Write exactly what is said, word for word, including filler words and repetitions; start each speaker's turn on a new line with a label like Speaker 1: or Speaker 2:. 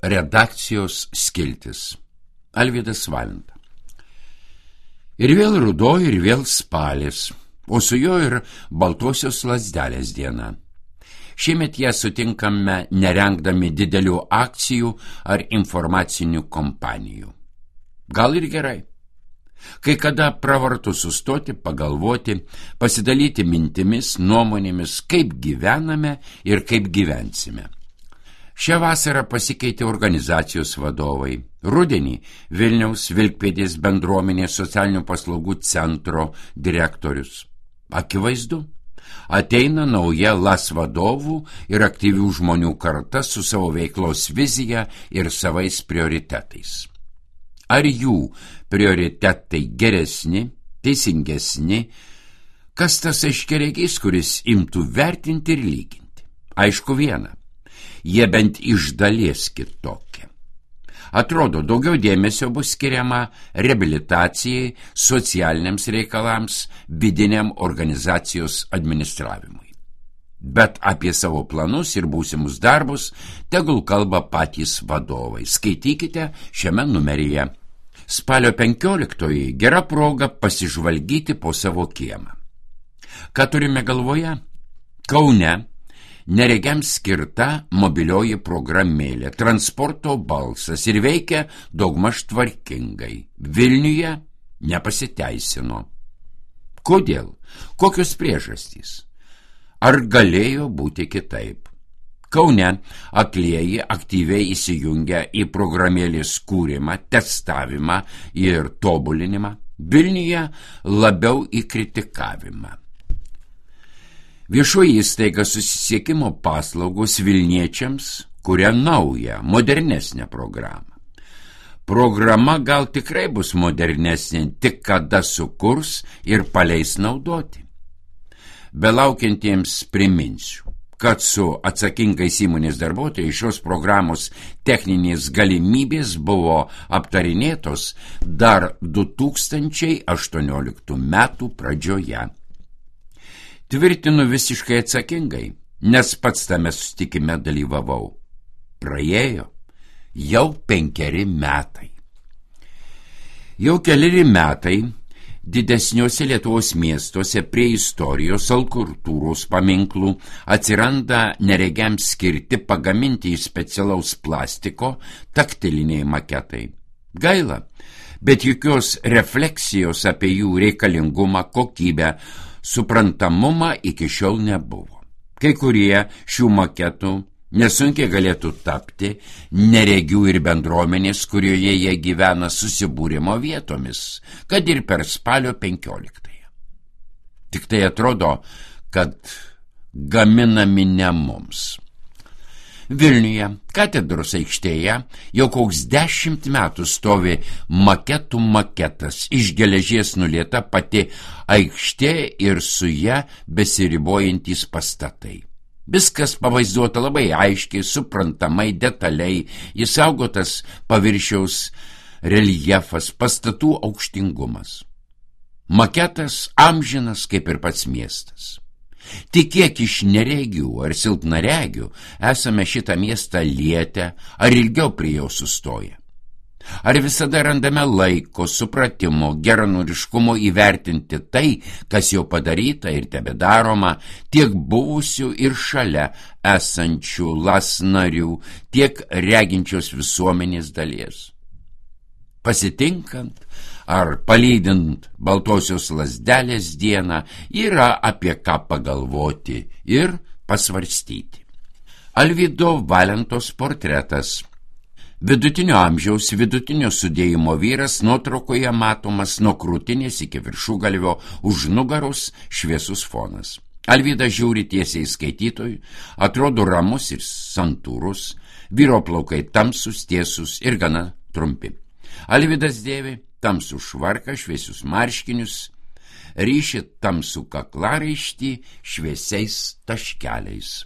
Speaker 1: Redakcijos skiltis. Alvydas Valenta. Ir vėl ruduo, ir vėl spalis, o su juo ir baltosios lazdelės diena. Šiemet ją sutinkame nerengdami didelių akcijų ar informacinių kompanijų. Gal ir gerai. Kai kada pravartu sustoti, pagalvoti, pasidalyti mintimis, nuomonėmis, kaip gyvename ir kaip gyvensime. Šią vasarą pasikeitė organizacijos vadovai. Rudenį Vilniaus Vilkpėdės bendruomenės socialinių paslaugų centro direktorius. Akivaizdu, ateina nauja L A S vadovų ir aktyvių žmonių karta su savo veiklos vizija ir savais prioritetais. Ar jų prioritetai geresni, teisingesni, kas tas aiškiaregys, kuris imtų vertinti ir lyginti? Aišku viena. Jie bent iš dalies kitokie. Atrodo, daugiau dėmesio bus skiriama reabilitacijai, socialiniams reikalams, vidiniam organizacijos administravimui. Bet apie savo planus ir būsimus darbus tegul kalba patys vadovai. Skaitykite šiame numeryje. Spalio penkioliktoji gera proga pasižvalgyti po savo kiemą. Ką turime galvoje? Kaune neregiams skirta mobilioji programėlė, transporto balsas ir veikia daugmaž tvarkingai. Vilniuje nepasiteisino. Kodėl? Kokios priežastys? Ar galėjo būti kitaip? Kaune aklieji aktyviai įsijungia į programėlės kūrimą, testavimą ir tobulinimą. Vilniuje labiau į kritikavimą. Viešoji įstaiga susisiekimo paslaugos Vilniečiams kuria naują, modernesnę programą. Programa gal tikrai bus modernesnė, tik kada sukurs ir paleis naudoti. Belaukiantiems priminsiu, kad su atsakingais įmonės darbuotojais šios programos techninės galimybės buvo aptarinėtos dar du tūkstančiai aštuonioliktų metų pradžioje. Tvirtinu visiškai atsakingai, nes pats tame susitikime dalyvavau. Praėjo jau penkeri metai. Jau keleri metai didesniuose Lietuvos miestuose prie istorijos, kultūros paminklų atsiranda neregiams skirti pagaminti iš specialaus plastiko taktiliniai maketai. Gaila, bet jokios refleksijos apie jų reikalingumą, kokybę, suprantamumą iki šiol nebuvo. Kai kurie šių maketų nesunkiai galėtų tapti neregių ir bendruomenės, kurioje jie gyvena, susibūrimo vietomis, kad ir per spalio penkioliktąją. Tik tai atrodo, kad gaminami ne mums. Vilniuje, katedros aikštėje, jau koks dešimt metų stovi maketų maketas, iš geležies nulieta pati aikštė ir su ja besiribojantys pastatai. Viskas pavaizduota labai aiškiai, suprantamai, detaliai, įsaugotas paviršiaus reljefas, pastatų aukštingumas. Maketas amžinas kaip ir pats miestas. Tik kiek iš neregių ar silpnaregių esame šitą miestą lietę, ar ilgiau prie jo sustoję? Ar visada randame laiko, supratimo, geranoriškumo įvertinti tai, kas jau padaryta ir tebedaroma, tiek buvusių ir šalia esančių L A S narių, tiek reginčios visuomenės dalies? Pasitinkant ar palydint baltosios lazdelės dieną yra apie ką pagalvoti ir pasvarstyti. Alvydo Valentos portretas. Vidutinio amžiaus, vidutinio sudėjimo vyras nuotraukoje matomas nuo krūtinės iki viršugalvio, už nugaros šviesus fonas. Alvydas žiūri tiesiai skaitytojui, atrodo ramus ir santūrus, vyro plaukai tamsus, tiesus ir gana trumpi. Alvydas dėvi tamsų švarką, šviesius marškinius, ryši tamsų kaklaraištį šviesiais taškeliais.